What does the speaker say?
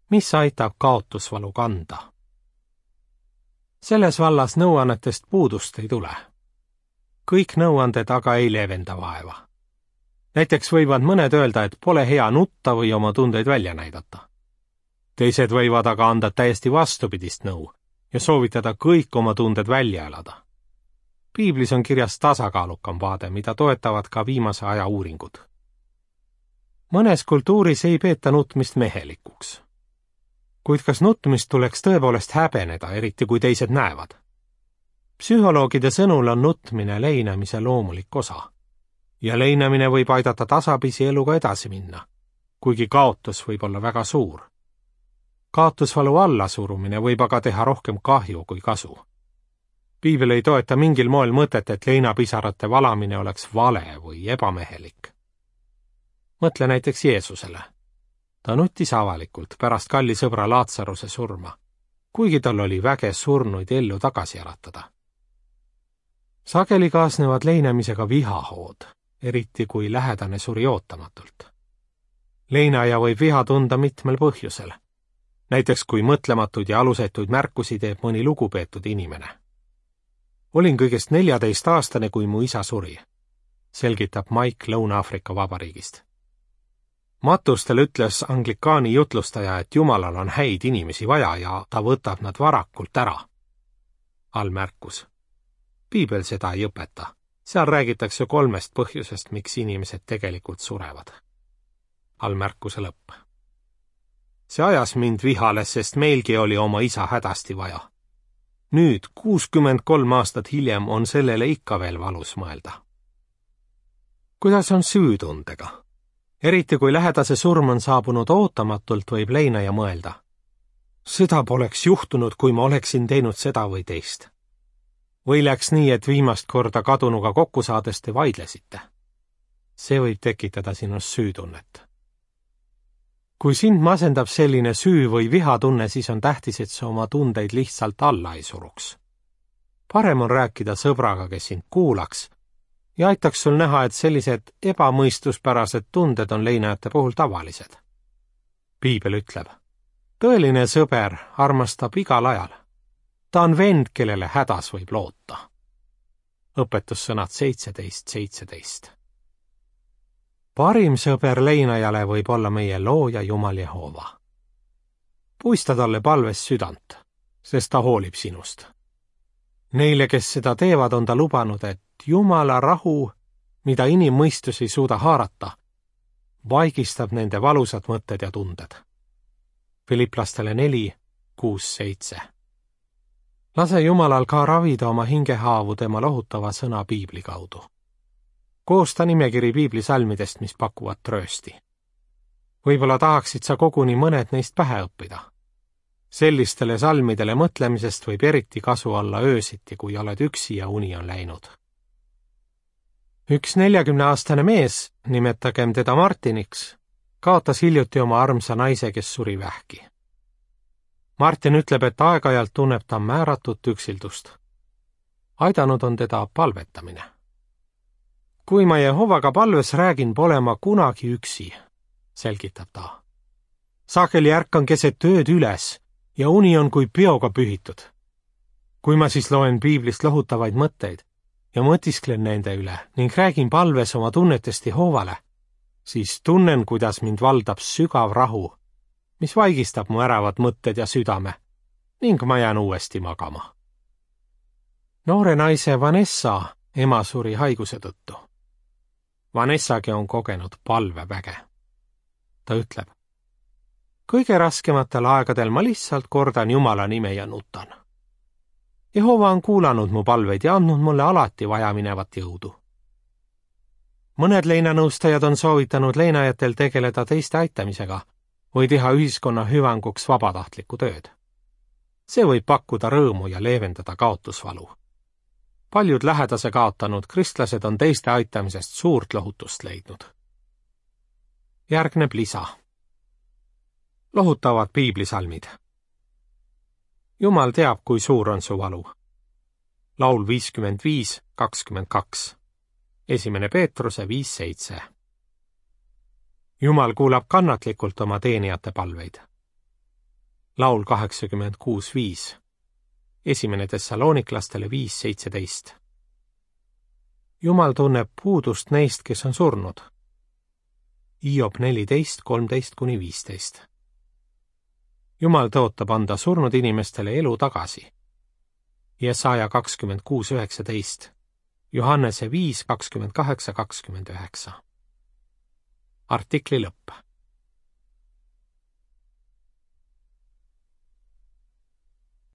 mis aitab kaotusvalu kanda. Selles vallas nõuannetest puudust ei tule. Kõik nõuanded aga ei leevenda vaeva. Näiteks võivad mõned öelda, et pole hea nutta või oma tundeid välja näidata. Teised võivad aga anda täiesti vastupidist nõu ja soovitada kõik oma tunded välja elada. Piiblis on kirjas tasakaalukam vaade, mida toetavad ka viimase aja uuringud. Mõnes kultuuris ei peeta nutmist mehelikuks. Kuid kas nutmist tuleks tõepoolest häbeneda, eriti kui teised näevad? Psühholoogide sõnul on nutmine leinamise loomulik osa. Ja leinamine võib aidata tasapisi eluga edasi minna, kuigi kaotus võib olla väga suur. Kaotusvalu allasurumine võib aga teha rohkem kahju kui kasu. Piibel ei toeta mingil moel mõtet, et leinapisarate valamine oleks vale või ebamehelik. Mõtle näiteks Jeesusele. Ta nutis avalikult pärast kalli sõbra Laatsaruse surma, kuigi tal oli väge surnuid ellu tagasi äratada. Sageli kaasnevad leinamisega vihahood, eriti kui lähedane suri ootamatult. Leinaja võib viha tunda mitmel põhjusel. Näiteks kui mõtlematud ja alusetuid märkusi teeb mõni lugupeetud inimene. Olin kõigest 14-aastane, kui mu isa suri, selgitab Mike Lõuna-Aafrika Vabariigist. Matustel ütles anglikaani jutlustaja, et Jumalal on häid inimesi vaja ja ta võtab nad varakult ära. Allmärkus. Piibel seda ei õpeta. Seal räägitakse 3 põhjusest, miks inimesed tegelikult surevad. Allmärkuse lõpp. See ajas mind vihale, sest meilgi oli oma isa hädasti vaja. Nüüd, 63 aastat hiljem, on sellele ikka veel valus mõelda. Kuidas on süütundega? Eriti kui lähedase surm on saabunud ootamatult, võib leinaja mõelda. Seda poleks juhtunud, kui ma oleksin teinud seda või teist. Või läks nii, et viimast korda kadunuga kokku saades te vaidlesite. See võib tekitada sinust süütunnet. Kui sind masendab selline süü- või vihatunne, siis on tähtis, et sa oma tundeid lihtsalt alla ei suruks. Parem on rääkida sõbraga, kes sind kuulaks ja aitaks sul näha, et sellised ebamõistuspärased tunded on leinajate puhul tavalised. Piibel ütleb, tõeline sõber armastab igal ajal. Ta on vend, kellele hädas võib loota. Õpetussõnad 17:17. Parim sõber leinajale võib olla meie looja Jumal Jehova. Puista talle palves südant, sest ta hoolib sinust. Neile, kes seda teevad, on ta lubanud, et Jumala rahu, mida inimmõistus ei suuda haarata, vaigistab nende valusad mõtted ja tunded. Filiplastele 4:6-7. Lase Jumalal ka ravida oma hingehaavu tema lohutava sõna Piibli kaudu. Koosta nimekiri Piibli salmidest, mis pakuvad tröösti. Võib-olla tahaksid sa koguni mõned neist pähe õppida. Sellistele salmidele mõtlemisest võib eriti kasu olla öösiti, kui oled üksi ja uni on läinud. Üks 40-aastane mees, nimetagem teda Martiniks, kaotas hiljuti oma armsa naise, kes suri vähki. Martin ütleb, et aeg-ajalt tunneb ta määratut üksildust. Aidanud on teda palvetamine. Kui ma Jehovaga palves räägin, pole ma kunagi üksi, selgitab ta. Sageli ärkan keset ööd üles ja uni on kui peoga pühitud. Kui ma siis loen Piiblist lohutavaid mõtteid ja mõtisklen nende üle ning räägin palves oma tunnetest Jehovale, siis tunnen, kuidas mind valdab sügav rahu, mis vaigistab mu äravad mõtted ja südame ning ma jään uuesti magama. Noore naise Vanessa ema suri haiguse tõttu. Vanessagi on kogenud palveväge. Ta ütleb, kõige raskematel aegadel ma lihtsalt kordan Jumala nime ja nutan. Jehova on kuulanud mu palveid ja andnud mulle alati vajaminevat jõudu. Mõned leinanõustajad on soovitanud leinajatel tegeleda teiste aitamisega või teha ühiskonna hüvanguks vabatahtlikku tööd. See võib pakkuda rõõmu ja leevendada kaotusvalu. Paljud lähedase kaotanud kristlased on teiste aitamisest suurt lohutust leidnud. Järgneb lisa. Lohutavad piiblisalmid. Jumal teab, kui suur on su valu. Laul 55:22. 1. Peetruse 5:7. Jumal kuulab kannatlikult oma teenijate palveid. laul 86:5, esimene Thessaloniklastele 5:17. Jumal tunneb puudust neist, kes on surnud. Hiob 14:13-15. Jumal tõotab anda surnud inimestele elu tagasi. Jesaja 26:19, Johannese 5:28-29. Artikli lõpp.